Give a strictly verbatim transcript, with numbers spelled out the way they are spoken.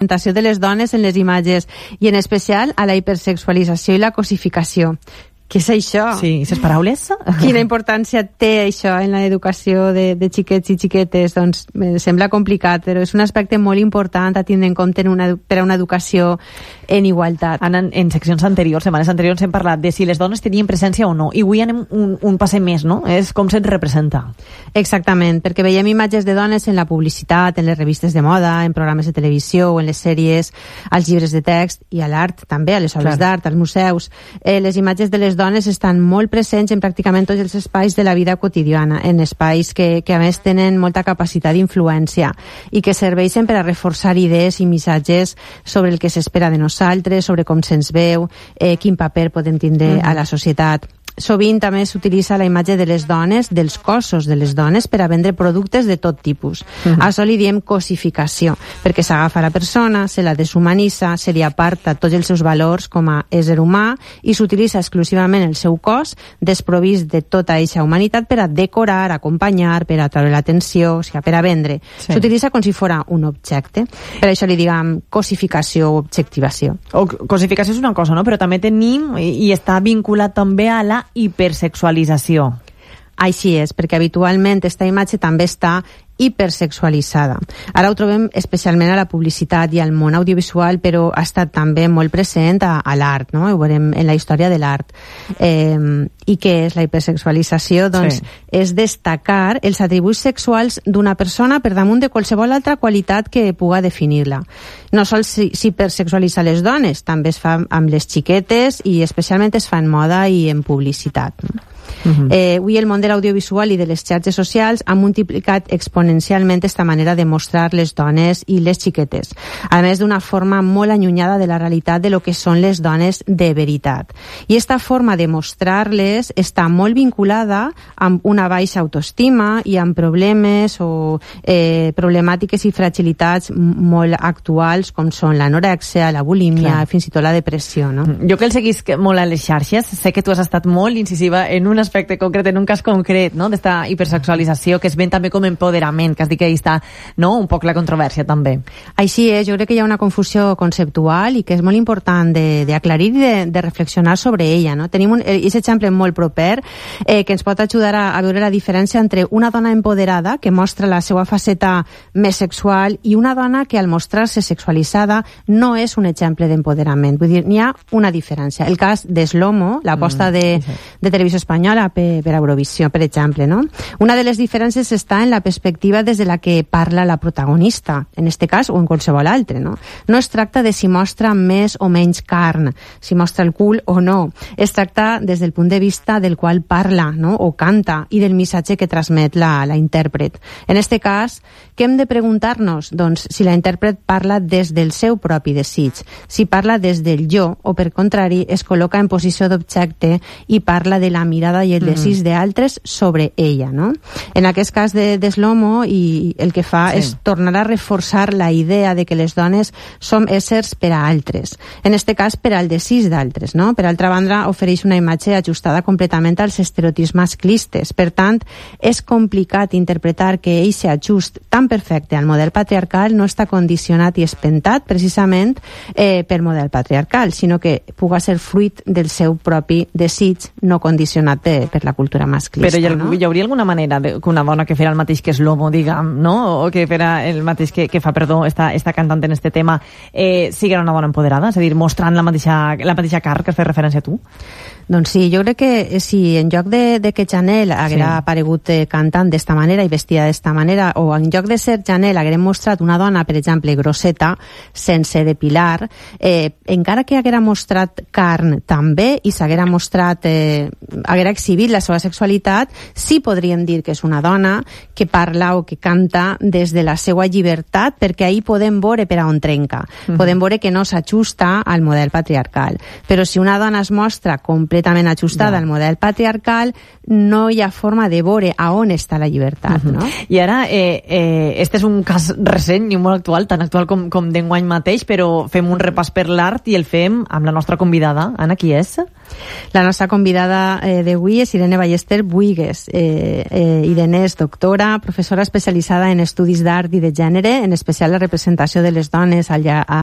representació de les dones en les imatges i en especial a la hipersexualització i la cosificació. Què és això? Sí, aquestes paraules. Quina importància té això en l'educació de, de xiquets i xiquetes? Doncs me sembla complicat, però és un aspecte molt important a tindre en compte en una, per a una educació en igualtat. En, en seccions anteriors, setmanes anteriors, hem parlat de si les dones tenien presència o no, i avui anem un, un passe més, no? És com se'ns representa. Exactament, perquè veiem imatges de dones en la publicitat, en les revistes de moda, en programes de televisió o en les sèries, als llibres de text i a l'art també, a les obres d'art, als museus. Eh, les imatges de les dones estan molt presents en pràcticament tots els espais de la vida quotidiana, en espais que, que a més tenen molta capacitat d'influència i que serveixen per a reforçar idees i missatges sobre el que s'espera de nosaltres, sobre com se'ns veu, eh, quin paper podem tindre mm-hmm. a la societat. Sovint també s'utilitza la imatge de les dones, dels cossos de les dones, per a vendre productes de tot tipus. Mm-hmm. A això li diem cosificació, perquè s'agafa la persona, se la deshumanitza, se li aparta tots els seus valors com a ésser humà i s'utilitza exclusivament el seu cos desprovist de tota eixa humanitat per a decorar, acompanyar, per a treure l'atenció, o sigui, per a vendre. Sí. S'utilitza com si fos un objecte. Per això li diguem cosificació o objectivació. O, cosificació és una cosa, no? Però també tenim, i, i està vinculat també a la hipersexualització. Així és, perquè habitualment aquesta imatge també està hipersexualitzada. Ara ho trobem especialment a la publicitat i al món audiovisual, però ha estat també molt present a, a l'art, no? Ho veurem en la història de l'art. Eh, I què és la hipersexualització? Doncs sí. és destacar els atributs sexuals d'una persona per damunt de qualsevol altra qualitat que puga definir-la. No sols s'hipersexualitza les dones, també es fa amb les xiquetes i especialment es fa en moda i en publicitat. Uh-huh. Eh, avui el món de l'audiovisual i de les xarxes socials ha multiplicat exponencialment aquesta manera de mostrar les dones i les xiquetes, a més d'una forma molt allunyada de la realitat de lo que són les dones de veritat. I aquesta forma de mostrar-les està molt vinculada amb una baixa autoestima i amb problemes o eh, problemàtiques i fragilitats molt actuals com són l'anorèxia, la bulímia, Clar. fins i tot la depressió, no? Jo que el seguís molt a les xarxes, sé que tu has estat molt incisiva en un aspecte concret, en un cas concret, no?, d'esta hipersexualització, que es ven també com empoderament, que has dit que hi està, no?, un poc la controvèrsia també. Així és, jo crec que hi ha una confusió conceptual i que és molt important d'aclarir i de, de reflexionar sobre ella, no? Tenim un aquest exemple molt proper eh, que ens pot ajudar a, a veure la diferència entre una dona empoderada que mostra la seva faceta més sexual i una dona que al mostrar-se sexualitzada no és un exemple d'empoderament. Vull dir, n'hi ha una diferència. El cas de Slomo, l'aposta mm, de, sí. de Televisió Espanyola per, per Eurovisió, per exemple, no? Una de les diferències està en la perspectiva des de la que parla la protagonista, en este cas o en qualsevol altre, no? No es tracta de si mostra més o menys carn, si mostra el cul o no. Es tracta des del punt de vista del qual parla, no?, o canta, i del missatge que transmet la, la intèrpret. En este cas, què hem de preguntar-nos? Doncs si la intèrpret parla des del seu propi desig, si parla des del jo, o per contrari, es col·loca en posició d'objecte i parla de la mirada i el desig mm. d'altres sobre ella, no? En aquest cas de, de Slomo, i el que fa sí. és tornar a reforçar la idea de que les dones som éssers per a altres. En este cas, per al desig d'altres, no? Per altra banda, ofereix una imatge ajustada completament als estereotips masclistes. Per tant, és complicat interpretar que eixe ajust tan perfecte al model patriarcal no està condicionat i espentat precisament eh, per model patriarcal, sinó que puga ser fruit del seu propi desig no condicionat per, per la cultura masclista. Però hi, ha, no? hi hauria alguna manera de, que una dona que fera el mateix que Slomo, diguem, no? O que fera el mateix que, que fa, perdó, esta, esta cantant en este tema, eh, sigui una dona empoderada? És a dir, mostrant la mateixa, la mateixa carn que has fet referència a tu? Doncs sí, jo crec que si en lloc de, de que Chanel haguera sí. aparegut eh, cantant d'esta manera i vestida d'esta manera, o en lloc de ser Chanel haguérem mostrat una dona, per exemple, grosseta, sense depilar, eh, encara que haguera mostrat carn també i s'haguera mostrat, eh, haguera exhibit la seva sexualitat, sí podríem dir que és una dona que parla o que canta des de la seva llibertat, perquè ahí podem veure per a on trenca. Mm-hmm. Podem veure que no s'ajusta al model patriarcal. Però si una dona es mostra completament ajustada ja. al model patriarcal, no hi ha forma de veure a on està la llibertat, uh-huh. no? I ara, eh, eh, este és un cas recent i molt actual, tan actual com, com d'enguany mateix, però fem un repàs per l'art i el fem amb la nostra convidada. Anna, qui és? La nostra convidada eh, d'avui d'avui és Irene Ballester Buigues. Eh, eh, Irene és doctora, professora especialitzada en estudis d'art i de gènere, en especial la representació de les dones al, a,